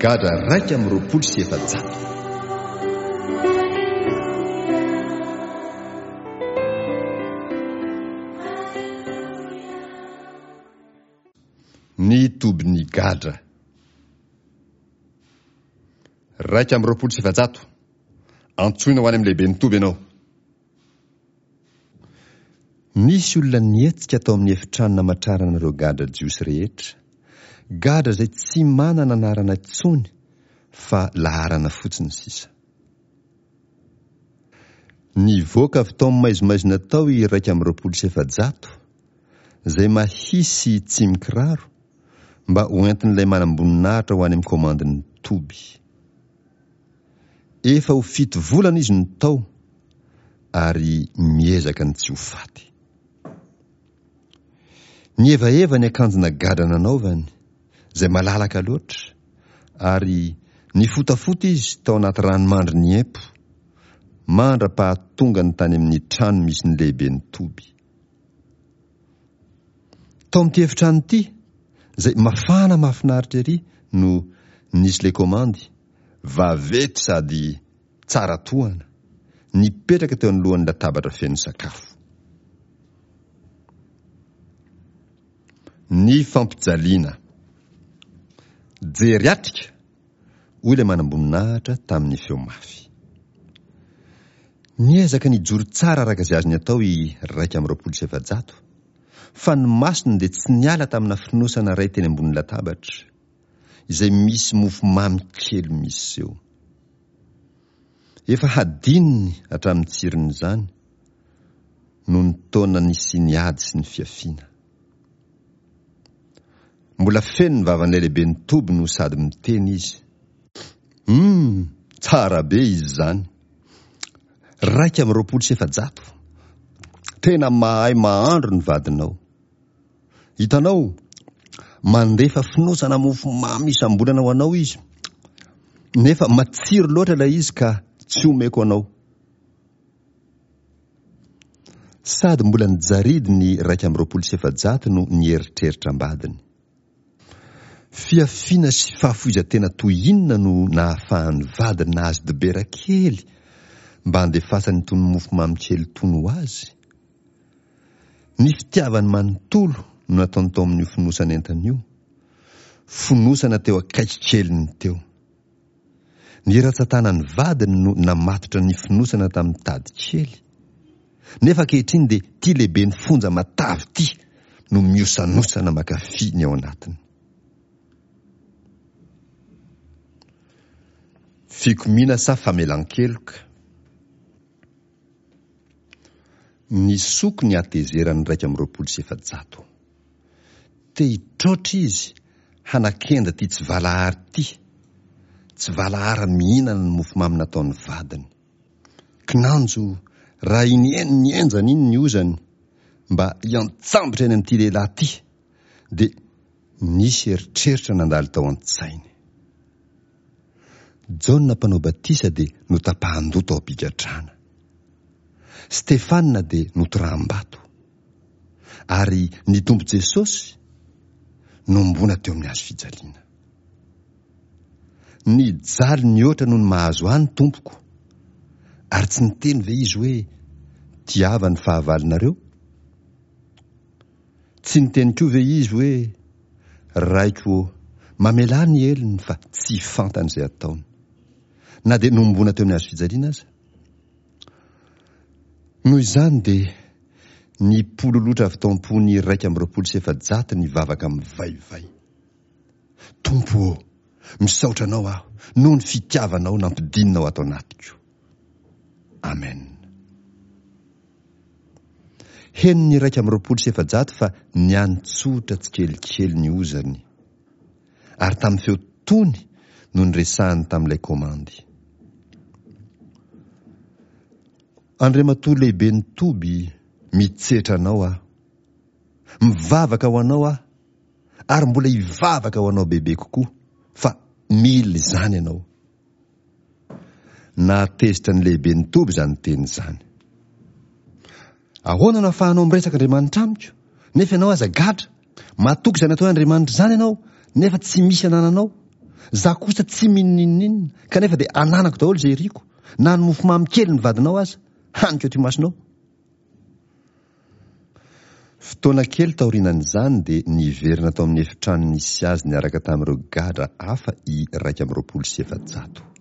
gadra 421. Ny tobin'ny gadra. 421. Antsoina ho any amin'ny lehiben'ny toby ianao. Nisy olona nihetsika tao amin'ny efitrano namatrarana ireo gadra jiosy rehetra, gadra izay tsy manana anarana intsony fa laharana fotsiny sisa. Nivoaka avy tao amin'ny maizimaizina tao i 421, izay mahia sy tsy mikiraro, mba hoentin'ilay manamboninahitra ho any amin'ny komandin'ny toby. Efa ho fito volana izy no tao ary miezaka ny tsy ho faty. Nihevaheva ny akanjona gadra nanaovany, izay malalaka loatra, ary nifotafota izy tao anaty ranomandry niempo, mandra-pahatongany tany amin'ny trano misy ny lehiben'ny toby. Tao amin'ity efitrano ity, izay mafana mahafinaritra ery no nisy ilay komandy, vaventy sady tsara tohana, nipetraka teo anoloan'ny latabatra feno sakafo. Ny fampijaliana. Jery atrika! hoy ilay manamboninahitra tamin'ny feo mafy. Niezaka nijoro tsara araka izay azony atao i 421, fa ny masony dia tsy niala tamina fonosana iray teny ambony latabatra, izay misy mofomamy kely miseho. Efa hadinony hatramin'ny tsiron'izany, noho ny taona nisian'ny ady sy ny fiafiana. Mbola feno ny vavan'ilay lehiben'ny toby no sady miteny izy. Humm! Tsara be izy izany. 421. Tena mahay mahandro ny vadinao. Hitanao, mandefa fonosana mofo mamy isam-bolana ho anao izy, nefa matsiro loatra ilay izy ka tsy omeko anao. Sady mbola nijaridy ny 421 no nieritreritra am-badiny. Fihafiana sy fahafoizan-tena toy inona no nahafahan'ny vadiny nahazo dibera kely mba handefasany itony mofomamy kely itony ho azy? Ny fitiavany manontolo no nataony tao amin'io fonosan'entana io, fonosana teo akaiky keliny teo. Ny ratsan-tanan'ny vadiny no namatotra ny fonosana tamin'ny tady kely. Nefa ankehitriny dia ity lehiben'ny fonja matavy ity no miosanosana makafy ny ao anatiny. Fikomiana sa famelan-keloka? Nisoko ny hatezeran'ny 421. Te hitroatra izy hanakenda ity tsy valahara ity, tsy valahara mihinana ny mofomamy nataon'ny vadiny. Kinanjo, raha iny nihenjana iny ny ozany mba hiantsambotra eny amin'ity lehilahy ity, dia nisy eritreritra nandalo tao an-tsainy. Jaona Mpanao Batisa dia notapahan-doha tao am-pigadrana. Stefana dia notoraham-bato. Ary ny Tompo Jesosy nomboana teo amin'ny hazo fijaliana. Nijaly nihoatra noho ny mahazo ahy ny Tompoko. Ary tsy niteny ve Izy hoe, Tiava ny fahavalonareo? Tsy niteny koa ve Izy hoe, Raiko ô, mamelà ny helony fa tsy fantany izay ataony. Na dia nohomboana teo amin'ny hazo fijaliana aza? Noho izany dia nipololotra avy tao am-pony 421 ny vavaka mivaivay. Tompo ô, misaotra Anao aho noho ny fitiavanao nampidininao ato anatiko. Amen. Henon'ny 421 fa niantsotra tsikelikely ny ozany, ary tamin'ny feo tony no niresahany tamin'ilay komandy. Andriamatoa lehiben'ny toby, mitsetra anao aho. Mivavaka ho anao aho, ary mbola hivavaka ho anao bebe kokoa, fa mila izany ianao. Nahatezitra ny lehiben'ny toby izany teny izany. Ahoana no ahafahanao miresaka Andriamanitra amiko, nefa ianao aza gadra? Matoky izany atao hoe Andriamanitra izany ianao, nefa tsy misy anananao. Za kosa tsy mino n'inon'inona, kanefa dia ananako daholo izay iriko, na ny mofomamy kely ny vadinao aza, haniko eto imasonao. Fotoana kely taorianan'izany dia niverina tao amin'ny efitrano nisy azy niaraka tamin'ireo gadra hafa i 421.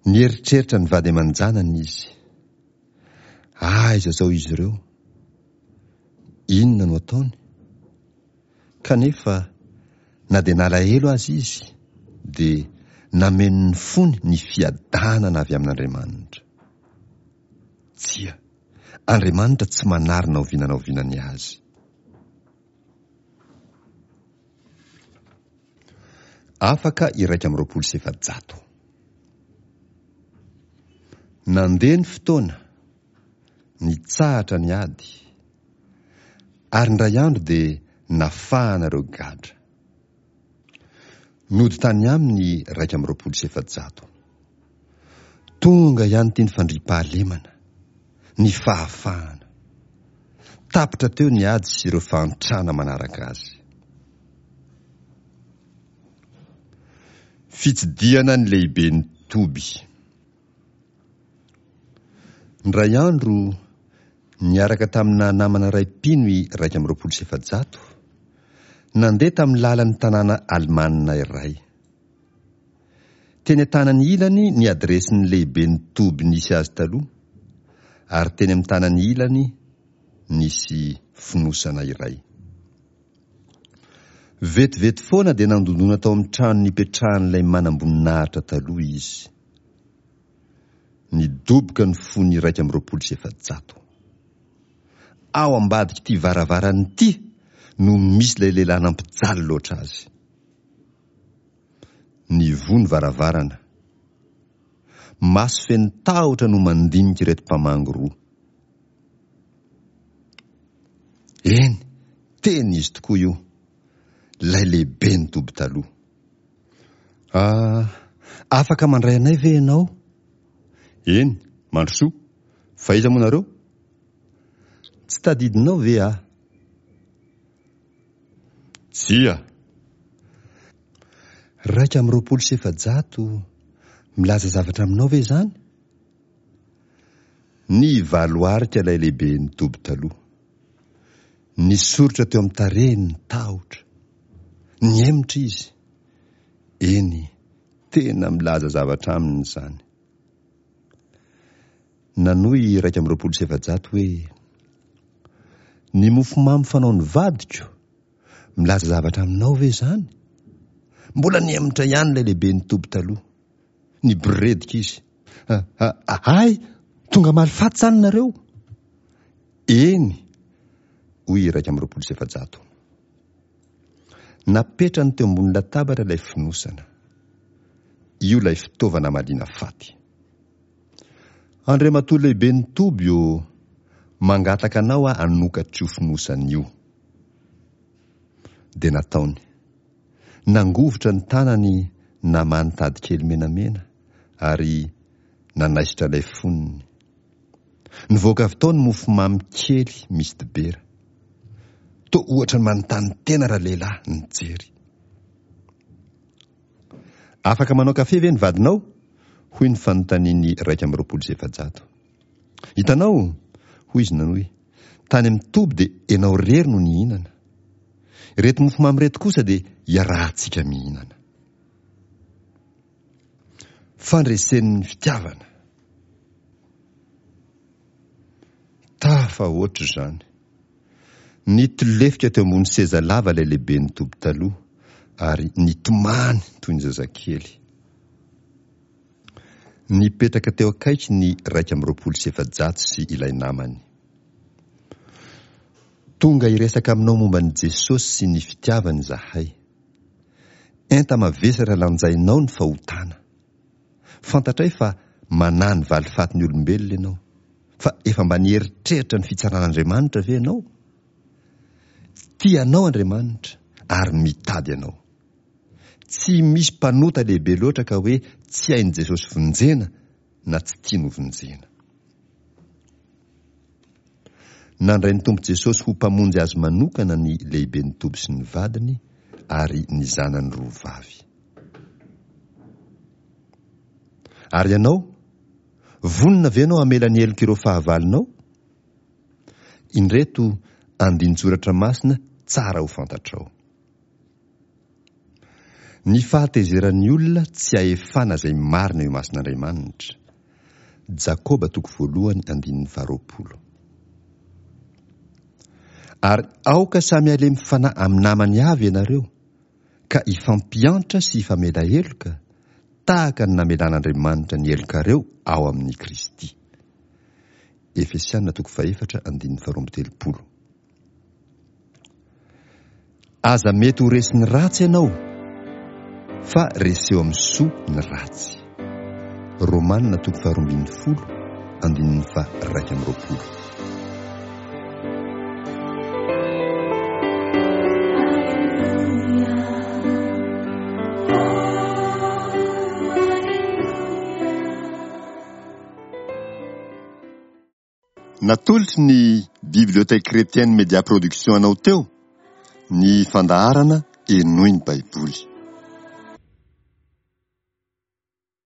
Nieritreritra ny vady aman-janany izy. Aiza izao izy ireo? Inona no ataony? Kanefa, na dia nalahelo aza izy, dia nameno ny fony ny fiadanana avy amin'Andriamanitra. Tsia, Andriamanitra tsy manary na oviana na oviana ny azy. Afaka 421. Nandeha ny fotoana, nitsahatra ny ady, ary indray andro dia nafahana ireo gadra. Nody tany aminy ny 421. Tonga ihany ity ny fandriampahalemana, ny fahafahana. Tapitra teo ny ady sy ireo fahantrana manaraka azy. Fitsidihana ny lehiben'ny toby. Indray andro, niaraka tamina namana iray mpino i 421, nandeha tamin'ny lalan'ny tanàna alemana iray. Teny an-tanany ilany ny adiresin'ny lehiben'ny toby nisy azy taloha, ary teny amin'ny tanany ilany nisy fonosana iray. Vetivety foana dia nandondona tao amin'ny trano nipetrahan'ilay manamboninahitra taloha izy. Nidoboka ny fony 421. Ao ambadik'ity varavarana ity no misy ilay lehilahy nampijaly loatra azy. Nivoha ny varavarana. Maso feno tahotra no mandinika ireto mpamangy roa. Eny, tena izy tokoa io. Ilay lehiben'ny toby taloha. Ah, afaka mandray anay ve ianao? Eny, mandrosoa. Fa iza moa nareo? Tsy tadidinao ve aho? Tsia. 421, milaza zavatra aminao ve izany? Nivaloarika ilay lehiben'ny toby taloha. Nisoritra teo amin'ny tarehiny ny tahotra. Nihemotra izy. Eny, tena milaza zavatra aminy izany. Nanohy 421 hoe, Ny mofomamy fanaon'ny vadiko, milaza zavatra aminao ve izany? Mbola nihemotra ihany ilay lehiben'ny toby taloha. Niboredika izy. Hay, tonga hamaly faty izany nareo? Eny, hoy 421. Napetrany teo ambony latabatra ilay fonosana. Io ilay fitaovana hamaliana faty. Andriamatoa lehiben'ny toby ô, mangataka anao aho hanokatra io fonosana io. Dia nataony. Nangovitra ny tanany namaha ny tady kely menamena ary nanaisotra ilay fonony. Nivoaka avy tao ny mofomamy kely misy dibera. Toa ohatra ny manontany tena ralehilahy nijery. Afaka manao kafe ve ny vadinao? hoy ny fanontanian'ny 421. Hitanao, hoy izy nanohy, tany amin'ny toby dia ianao irery no nihinana. Ireto mofomamy ireto kosa dia iarahantsika mihinana. Fandresen'ny fitiavana. Tafahoatra izany. Nitolefika teo ambony seza lava ilay lehiben'ny toby taloha ary nitomany toy ny zazakely. Nipetraka teo akaiky ny 421 sy ilay namany. Tonga hiresaka aminao momba an'i Jesosy sy ny fitiavany izahay. Enta-mavesatra lanjainao ny fahotana. Fantatray fa manahy ny valifatin'ny olombelona ianao. Fa efa mba nieritreritra ny fitsaran'Andriamanitra ve ianao? Tia anao Andriamanitra ary mitady anao. Tsy misy mpanota lehibe loatra ka hoe tsy hain'i Jesosy vonjena na tsy tiany hovonjena. Nandray ny Tompo Jesosy ho Mpamonjy azy manokana ny lehiben'ny toby sy ny vadiny ary ny zanany roa vavy. Ary ianao? Vonona ve ianao hamela ny helok'ireo fahavalonao? Indreto andinin-tsoratra masina tsara ho fantatrao. Ny fahatezeran'ny olona tsy ahefana izay marina eo imason'Andriamanitra. Jakoba toko voalohany andininy faharoapolo. Ary aoka samy halemy fanahy amin'ny namany avy ianareo, ka hifampiantra sy hifamela heloka, tahaka ny namelan'Andriamanitra ny helokareo ao amin'i Kristy. Efesiana toko fahefatra andininy faharoa amby telopolo. Aza mety ho resin'ny ratsy ianao, fa reseo amin'ny soa ny ratsy. Romana toko faharoa ambin'ny folo andininy faha-21. Natolotry ny Bibliothèque Chrétienne Media Production anao teo ny fandaharana Henoy ny Baiboly.